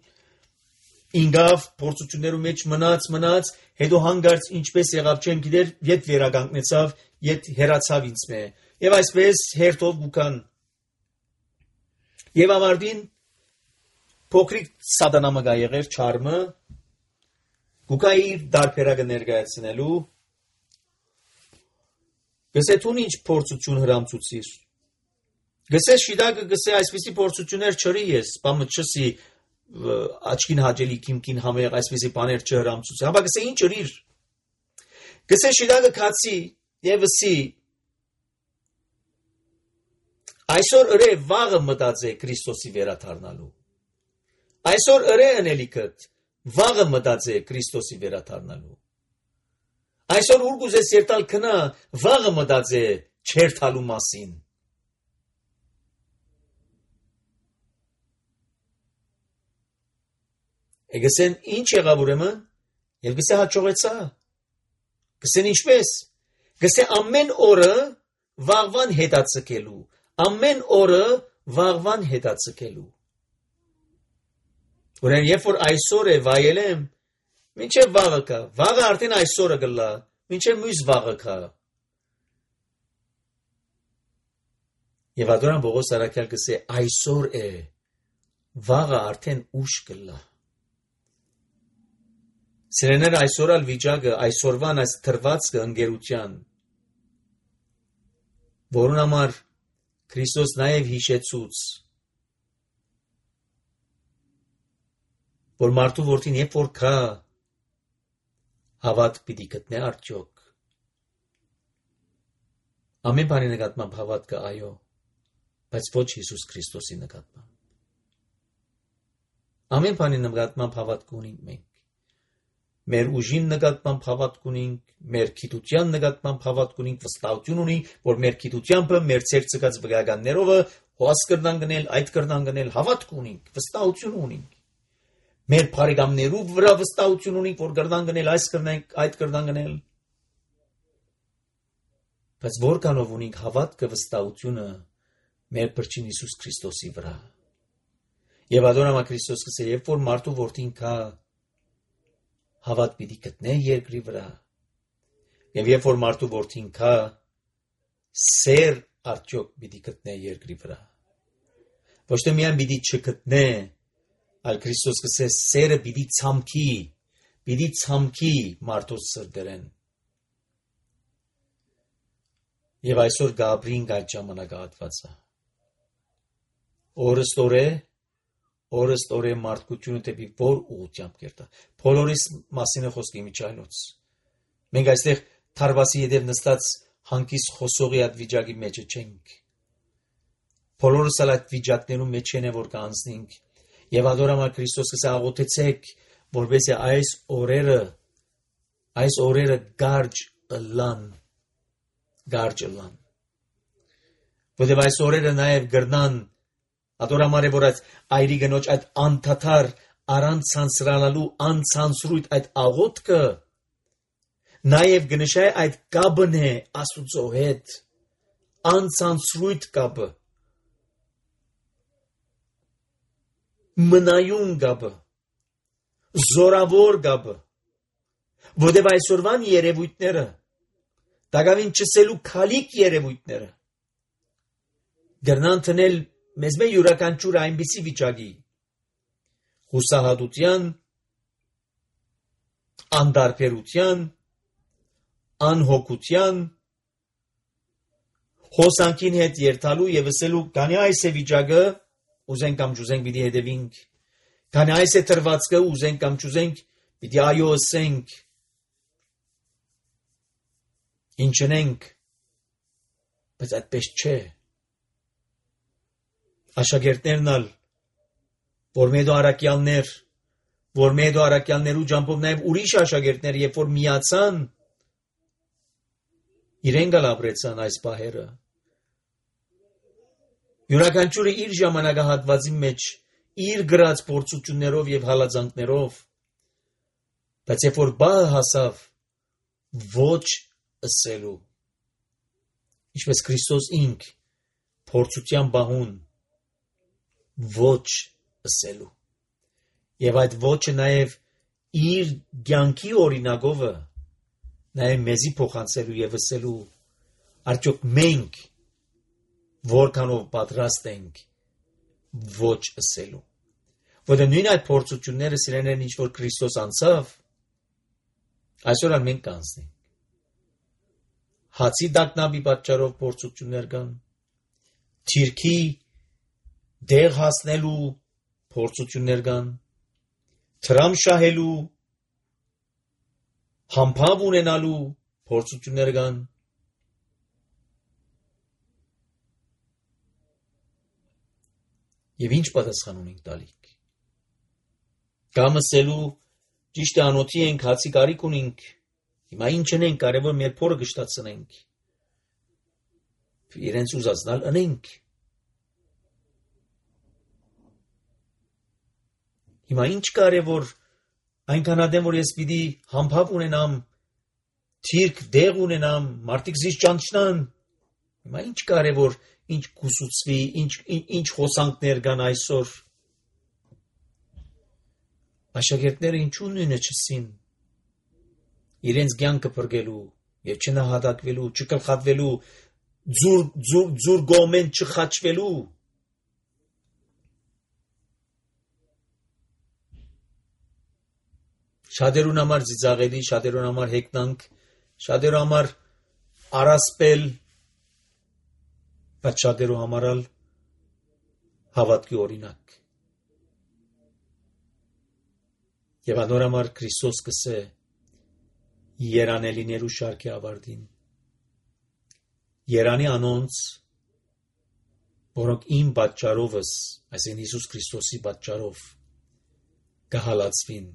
ինգավ փորձություններու մեջ մնաց, մնաց, հետո հանգարց ինչպես եղավ չեմ գիտեր, ետ վերականգնեցավ, ետ հերացավ ինձ մե։ Եվ այսպես հերթով գուկան։ Եվ ավարտին փոքրիկ սատանամը գա եղեր չարմը, գուկա իր դարբերակը ներկայացնելու, գսե թուն ինչ փորձություն հրամցուցիր։ Գսե շիդակը գսե այսպիսի փորձություններ չրի ես, բամը չսի աչքին հաջելի կիմքին համեղ այսպիսի բաներ չհրամցուցի։ Հապա գսե ինչ ըրիր։ Գսե շիդակը քացի եւ վսի այսօր ըրե վաղը մտածե Քրիստոսի վերադառնալու։ Այսօր ըրե անելիքդ վաղը մտածե Քրիստոսի վերադառնալու։ Այսօր ուր գուզես երթալ քնա վաղը մտածե չերթալու մասին։ Գսեն ինչ եղավ ուրեմն, եւ գսե հաջողեցա։ Գսեն ինչպես։ Գսե ամեն օրը վաղվան հետացկելու, ամեն օրը վաղվան հետացկելու։ Ուրեմն երբ որ այսօր է վայելեմ, մինչև վաղը կա, վաղը արդեն այսօրը գլա, մինչև մյուս վաղը կա։ Եվ ադորան Բողոս առաքյալ գսե այսօր է, վաղը արդեն ուշ գլա։ Սիրեներ այսօր ալ վիճակը, այսօրվան այս թրվածքը ընկերության, որուն համար Քրիստոս նաև հիշեցուց, որ մարդու որդին երբ որ կա, հավատ պիտի գտնե արդյոք։ Ամեն բանի նկատմամբ հավատ կա այո, բայց ոչ Հիսուս Քրիստոսի նկատմամբ։ Ամեն բանի նկատմամբ հավատ կունենք մենք։ Մեր ուժին նկատմամբ հավատ կունենք, մեր գիտության նկատմամբ հավատ կունենք, վստահություն ունենք, որ մեր գիտությամբ մեր ցերծկած վկայականներով հոս կրնան գնել, այդ կրնան գնել, հավատ կունենք, վստահություն ունենք։ Մեր բարեկամներու վրա վստահություն ունենք, որ կրնան գնել, այս կրնենք, այդ կրնան գնել։ Բայց որքանով ունենք հավատքը վստահությունը մեր Փրկին Հիսուս Քրիստոսի վրա։ Եվ ադոնամա Քրիստոս կսե, երբ որ մարդու որդին կա, հավատ պիտի գտնե երկրի վրա։ Եվ երբ որ մարդու որդին կա, սեր արդյոք պիտի գտնե երկրի վրա։ Ոչ թե միայն պիտի չգտնե, այլ Քրիստոս կսե, սերը պիտի ցամքի, պիտի ցամքի մարդոց սրտերեն։ Եվ այսօր Գաբրին այդ ժամանակահատվածը։ Օրստորե, օրստորե մարդկությունը դեպի որ ուղղությամբ կերտա։ Բոլորիս մասին է խոսքի միջայլոց։ Մենք այստեղ թարվասի ետև նստած հանկիստ խոսողի այդ վիճակի մեջը չենք։ Բոլորս էլ այդ վիճակներում մեջ են որ կանցնենք։ Եվ ադորամար Քրիստոս կսա աղոթեցեք, որպեսզի այս օրերը, այս օրերը գարջ ըլլան, գարջ ըլլան։ Որտև այս օրերը նաև գրնան, ադորամար է որ այդ այրի գնոջ այդ անդադար առանց ցանցրանալու անցանցրույթ այդ աղոթքը նաև գնշայ այդ կապն է Աստուծո հետ, անցանցրույթ կապը, մնայուն կապը, զորավոր կապը, որտև այսօրվան երևույթները, դակավին չսելու քալիք երևույթները, գրնան տնել մեզ մե յուրաքանչյուր այնպիսի վիճակի, հուսահատության, անդարբերության, անհոգության, հոսանքին հետ երթալու եւ ասելու քանի այս է վիճակը ուզենք կամ չուզենք պիտի հետևենք, քանի այս է տրվածքը ուզենք կամ չուզենք պիտի այո ասենք, ինչնենք, բայց այդպես չէ։ Աշակերտներն ալ, որ մեդո արակյալներ, որ մեդո արակյալներու ջամփով նաեւ ուրիշ աշակերտներ, երբ որ միացան, իրեն գալ ապրեցան այս բահերը։ Յուրաքանչյուրը իր ժամանակահատվածի մեջ, իր գրած փորձություններով եւ հալածանքներով, բայց երբ որ բահը հասավ, ոչ ասելու, ինչպես Քրիստոս ինք, փորձության բահուն, ոչ ասելու, եւ այդ ոչը նաեւ իր կյանքի օրինակովը, նաեւ մեզի փոխանցելու եւ ասելու, արդյոք մենք որքանով պատրաստ ենք ոչ ասելու։ Որտեղ նույն այդ փորձությունները սիրելիներն ինչ որ Քրիստոս անցավ, այսօր ալ մենք կանցնենք։ Հացի դակնաբի պատճառով փորձություններ կան, թիրքի դեղ հասնելու փորձություններ կան, թրամ շահելու, համբավ ունենալու փորձություններ կան, եւ ինչ պատասխան ունենք տալիք։ Կամ ասելու ճիշտ է անոթի ենք, հացի կարիք ունենք, հիմա ինչ ենք, կարևոր մեր փորը գշտացնենք, իրենց ուզածնալ ընենք։ Հիմա ինչ կարևոր, այնքան ադեմ, որ ես պիտի համբավ ունենամ, թիրք դեղ ունենամ, մարդիկ զիս ճանչնան, հիմա ինչ կարևոր, ինչ կուսուցվի, ինչ, ինչ, ինչ հոսանքներ կան այսօր։ Աշակերտները ինչու նույնը չսին, իրենց կյանքը փրկելու եւ չնահատակվելու, չկլխատվելու, ձուր, ձուր, ձուր գոմեն չխաչվելու։ Շատերուն համար ծիծաղելի, շատերուն համար հեգնանք, շատերուն համար առասպել, բայց շատերու համար ալ հավատքի օրինակ։ Եվ անորամար Քրիստոս կսե երանելիներու շարքի ավարտին։ Երանի անոնց, որոնք իմ պատճառովս, այսին Հիսուս Քրիստոսի պատճառով կհալածվին,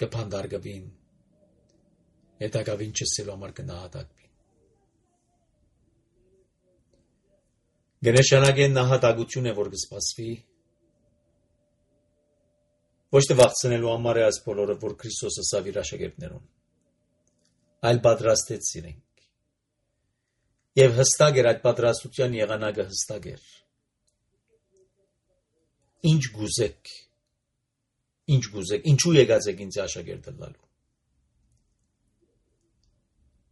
կփանդարգվին, հետագավին չսելու համար կնահատակվին։ Գնշանագեն նահատակություն է, որ կսպասվի, Ոչ թե վախցնելու համար է այս բոլորը, որ Քրիստոսը սավ իր աշակերտներուն, այլ պատրաստեց իրենք։ Եվ հստակ էր այդ պատրաստության եղանակը հստակ էր։ Ինչ գուզեք, ինչ գուզեք, ինչու եկած եք ինձ աշակերտը լալու։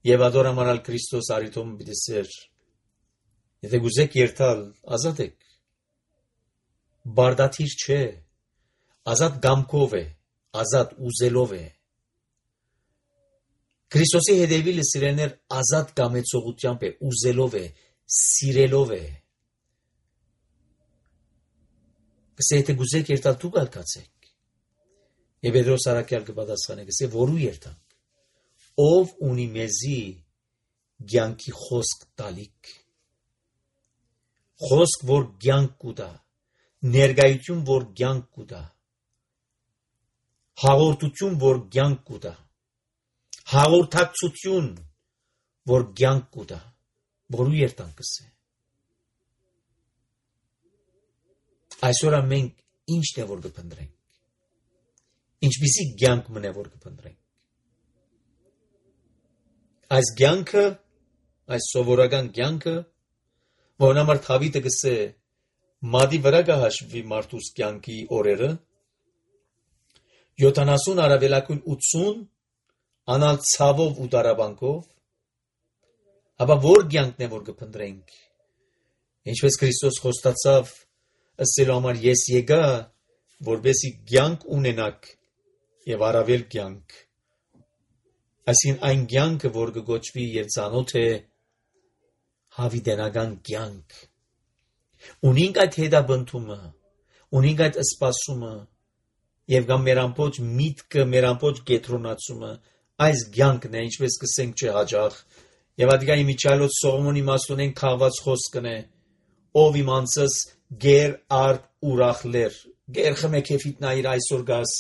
Եվ ադորամարալ Քրիստոս արիթոմ բիդեսեր, եթե գուզեք երթալ, ազատ եք, բարդաթիր չէ, ազատ գամքով է, ազատ ուզելով է։ Քրիստոսի հետևիլը սիրեներ ազատ կամեցողությամբ է, ուզելով է, սիրելով է։ Կսե եթե գուզեք երթալ դուք ալկացեք։ Եվ Պետրոս առաքյալ կպատասխանե, կսե որու երթանք, ով ունի մեզի կյանքի խոսք տալիք, խոսք որ կյանք կուտա, ներկայություն որ կյանք կուտա, հաղորդություն որ կյանք կուտա, հաղորդակցություն որ կյանք կուտա, որու երթանքս է։ Այսօր մենք ինչն է որ կփնտրենք, ինչպիսի կյանք մնե որ կփնտրենք։ Այս կյանքը, այս սովորական կյանքը, որն համար Դավիթը գսե մադի վրա կհաշվի մարդուս կյանքի օրերը, յոթանասուն առավելակույն ութսուն անալ ցավով ու դարաբանքով, ապա որ կյանքն է որ կփնտրենք, ինչպես Քրիստոս խոստացավ ըսելու համար ես եկա, որպեսզի կյանք ունենաք եւ առավել կյանք, այսին այն կյանքը, որ կգոչվի եւ ծանոթ է հավիտենական կյանք, ունենք այդ հետաբնթումը, ունենք այդ սպասումը եւ կամ մեր ամբողջ միտքը, մեր ամբողջ կետրոնացումը այս կյանքն է, ինչպես կսենք չէ հաջող, եւ ադիգա իմիջալոց Սողոմոնի մասունեն քաղված խոսքն է, ով իմ անձս գեր արդ ուրախլեր, գեր խմեքեֆիտ նայր այսօր գաս,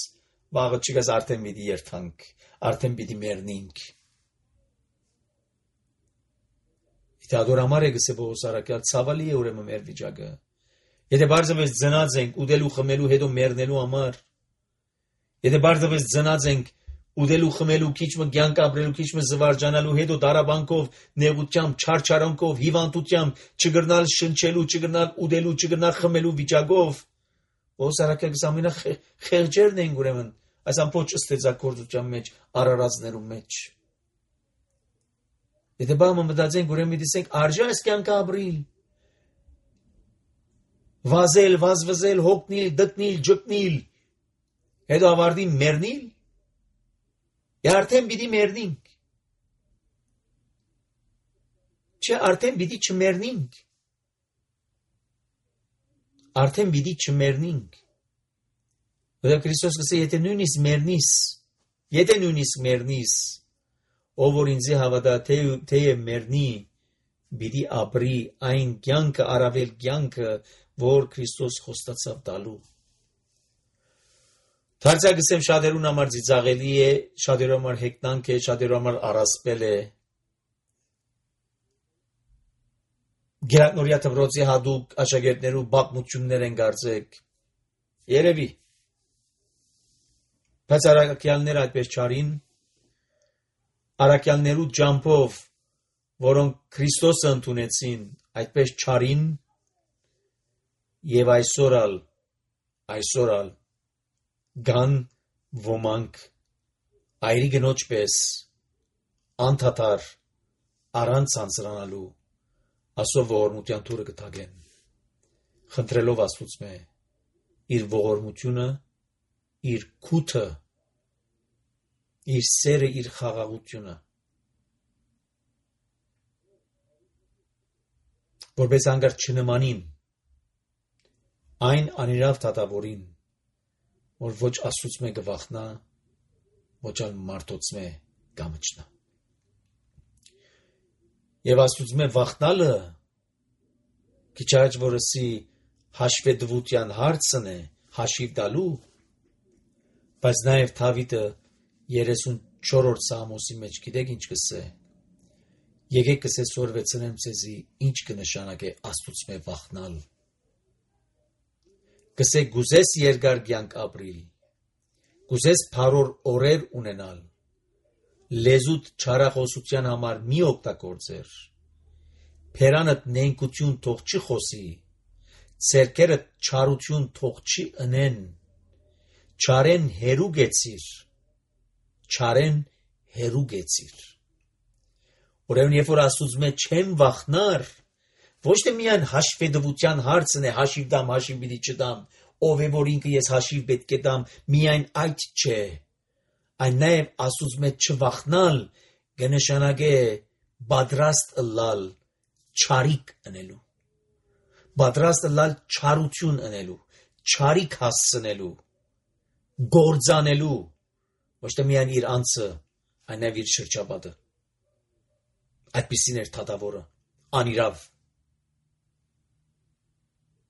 վաղը չգաս արդեն պիտի երթանք, արդեն պիտի մեռնենք։ Եթե ադորամար է գսե Պողոս առաքյալ, ցավալի է ուրեմն մեր վիճակը։ Եթե բարձրապես ծնած ենք ուդելու խմելու հետո մեռնելու համար, եթե բարձրապես ծնած ենք ուդելու խմելու քիչ մը կյանք ապրելու քիչ մը զվարճանալու հետո դարաբանքով, նեղությամբ, չարչարանքով, հիվանդությամբ, չգրնալ շնչելու, չգրնալ ուդելու, չգրնալ խմելու վիճակով, Պողոս առաքյալը ամենա խեղճերն են ուրեմն այս ամբողջ ստեղծագործության մեջ, արարածներու մեջ։ Եթե բամը մտածենք, ուրեմն դիսենք արժե այս կյանքը ապրիլ, վազել, վազվզել, հոգնիլ, դտնիլ, ջկնիլ, հետո ավարտին մեռնիլ, եւ արդեն պիտի մեռնենք։ Չէ, արդեն պիտի չմեռնենք։ Արդեն պիտի չմեռնենք։ Որովհետեւ Քրիստոս գսե եթե նույնիսկ մեռնիս, եթե նույնիսկ մեռնիս, ով որ ինձ հավատա, թե մեռնի, պիտի ապրի այն կյանքը, առավել կյանքը, որ Քրիստոս խոստացավ տալու։ Դարձյալ շատերուն համար ծիծաղելի է, շատերու համար հեգնանք է, շատերու համար առասպել է։ Գերակնորյա Թվրոցի հատուկ աշակերտներու բաղմություններ են կարծեք։ Երևի։ Բայց առաքյալները այդպես չարին, առաքյալներու ջամփով, որոնք Քրիստոսը ընդունեցին, այդպես չարին, եւ այսօրալ, այսօրալ գան ոմանք այրի գնոջ պես անդադար առանց անձրանալու ասով ողորմության թուրը կտագեն, խնդրելով Աստծուց մե իր ողորմությունը, իր քութը, իր սերը, իր խաղաղությունը, որպես անգար չնմանին այն անիրավ դատավորին, որ ոչ Աստծուց մե գվախնա, ոչ ալ մարդոց մե գամչնա։ Եվ Աստծուց մե վախնալը քիչ առաջ որսի հաշվետվության հարցն է, հաշիվ տալու, բայց նաև Դավիթը երեսունչորրորդ Սաղմոսի մեջ գիտեք ինչ կսե։ Եկեք կսե սորվեցնեմ ցեզի ինչ կնշանակե Աստծուց մե վախնալ։ Կսե գուզես երկար կյանք ապրիլ, Կուզես փարոր օրեր ունենալ, լեզուտ չարախոսության համար մի օգտագործեր, փերանդ նենկություն թող չի խոսի, ցերկերդ չարություն թող չի ընեն, չարեն հերու գեցիր, չարեն հերու գեցիր։ Ուրեմն երբ որ ասում է չեմ վախնար, ոչ թե միայն հաշվետվության հարցն է, հաշիվ դամ, հաշիվ պիտի չդամ, ով է որ ինքը ես հաշիվ պետք է դամ, միայն այդ չէ, այն նաև ասում է չվախնալ, կնշանակե պատրաստ ըլլալ չարիք ընելու, պատրաստ ըլլալ չարություն ընելու, չարիք հասցնելու, գործանելու, ոչ թե միայն իր անձը, այն նաև իր շրջապատը։ Այդպիսին էր թագավորը, անիրավ,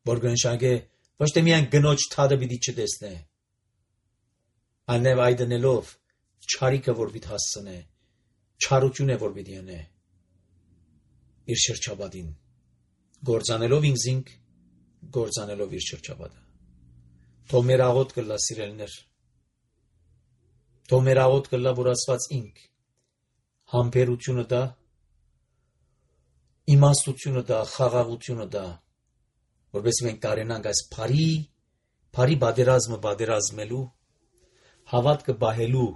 որ կնշանակե ոչ թե միայն գնոջ թադը պիտի չտեսնե, այլ նաև այդ ընելով չարիքը որ պիտի հասցնե, չարություն է որ պիտի անե իր շրջապատին, գործանելով ինքզինք, գործանելով իր շրջապատը։ Թող մեր աղոտ կլա սիրելիներ, թող մեր աղոտ կլա որ Աստված ինք համբերությունը դա, իմաստությունը դա, խաղաղությունը դա, որպես մենք կարենանք այս բարի, բարի բادرազմը բادرազմելու, հավատքը բահելու,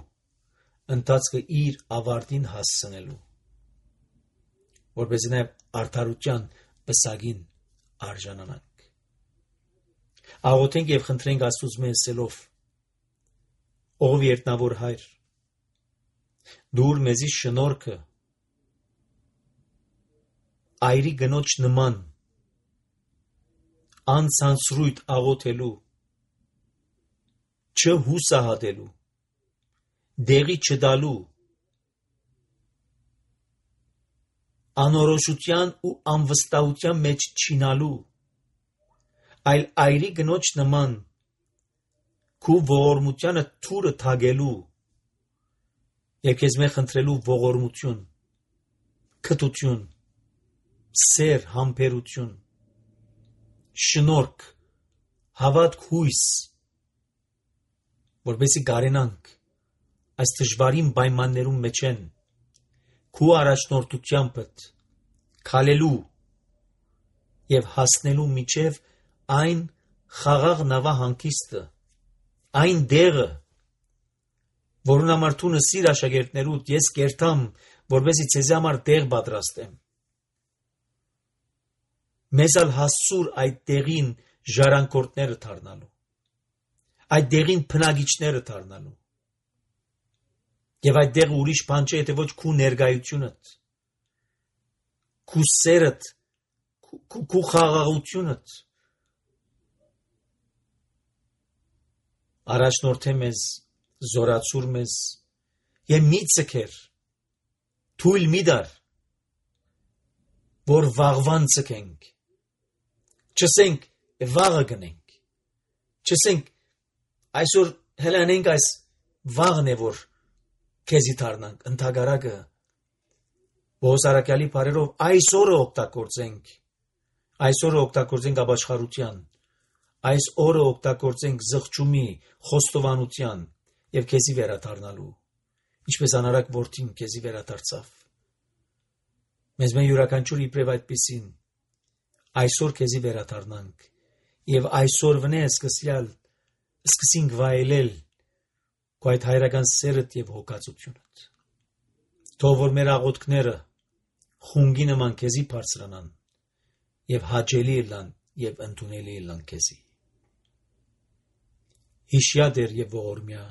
ընթացքը իր ավարտին հասցնելու, որպես նաև արդարության պսակին արժանանանք։ Աղոթենք եւ խնդրենք Աստծուց մեզ ասելով. Ով երտնավոր հայր, դուր մեզի շնորհքը այրի գնոջ նման անցանցրույթ աղոթելու, չհուսահատելու, դեղի չդալու, անորոշության ու անվստահության մեջ չինալու, այլ այրի գնոջ նման քու ողորմությանը թուրը թագելու եւ քեզ մե խնդրելու ողորմություն, քթություն, սեր, համբերություն, շնորհք, հավատք, հույս, որպեսզի կարենանք այս դժվարին պայմաններում մեջ են քու առաջնորդությամբ քալելու եւ հասնելու միջև այն խաղաղ նավահանգիստը, այն դեղը, որուն համար դու նսիր աշակերտներուդ, ես կերտամ, որպեսզի ցեզի համար դեղ պատրաստեմ։ Մեզ ալ հասցուր այդ դեղին ժառանգորդները դառնալու, այդ դեղին բնագիչները դառնալու։ Եվ այդ դեղը ուրիշ բան չէ, եթե ոչ քու ներկայությունդ, քու սերդ, քու խաղաղությունդ առաջնորդե մեզ, զորացուր մեզ եւ մի ցկեր, թույլ մի դար, որ վաղվան ցկենք, չսենք վաղը գնենք, չսենք այսօր հելանենք այս վաղն է որ քեզի դառնանք, ընդհակառակը Բոհոսարակյալի բարերով այսօրը օգտագործենք, այսօրը օգտագործենք ապաշխարության, այս օրը օգտագործենք զղջումի, խոստովանության եւ քեզի վերադառնալու, ինչպես անարակ որդին քեզի վերադարձավ։ Մեզ մեն յուրաքանչյուր իբրև այդպիսին այսօր քեզի վերադառնանք եւ այսօր վնե սկսյալ սկսենք վայելել քո այդ հայրական սերդ եւ հոգացությունդ։ Թող որ մեր աղոթքները խունգի նման քեզի բարձրանան եւ հաճելի լան եւ ընդունելի լան քեզի։ Հիշյա դեր եւ ողորմյա,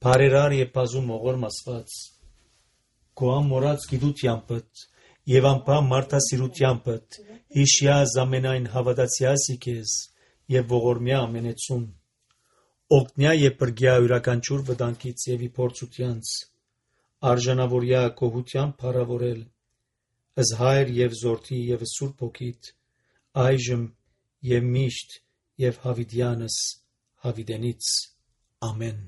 բարերար եւ բազում ողորմ Աստված, քո ամորած գիտությանդ եւ անփամ մարդասիրությանդ հիշյա զամենայն հավատացյալի քեզ եւ ողորմյա ամենեցուն, օգնյա եւ բրգյա յուրաքանչյուր վտանգից եւ իփորձությանց, արժանավորյա կողության փառավորել, ըզհայր եւ զորթի եւ սուրբ հոգիտ, այժմ եւ միշտ եւ հավիտյանս հավիտենից ամեն։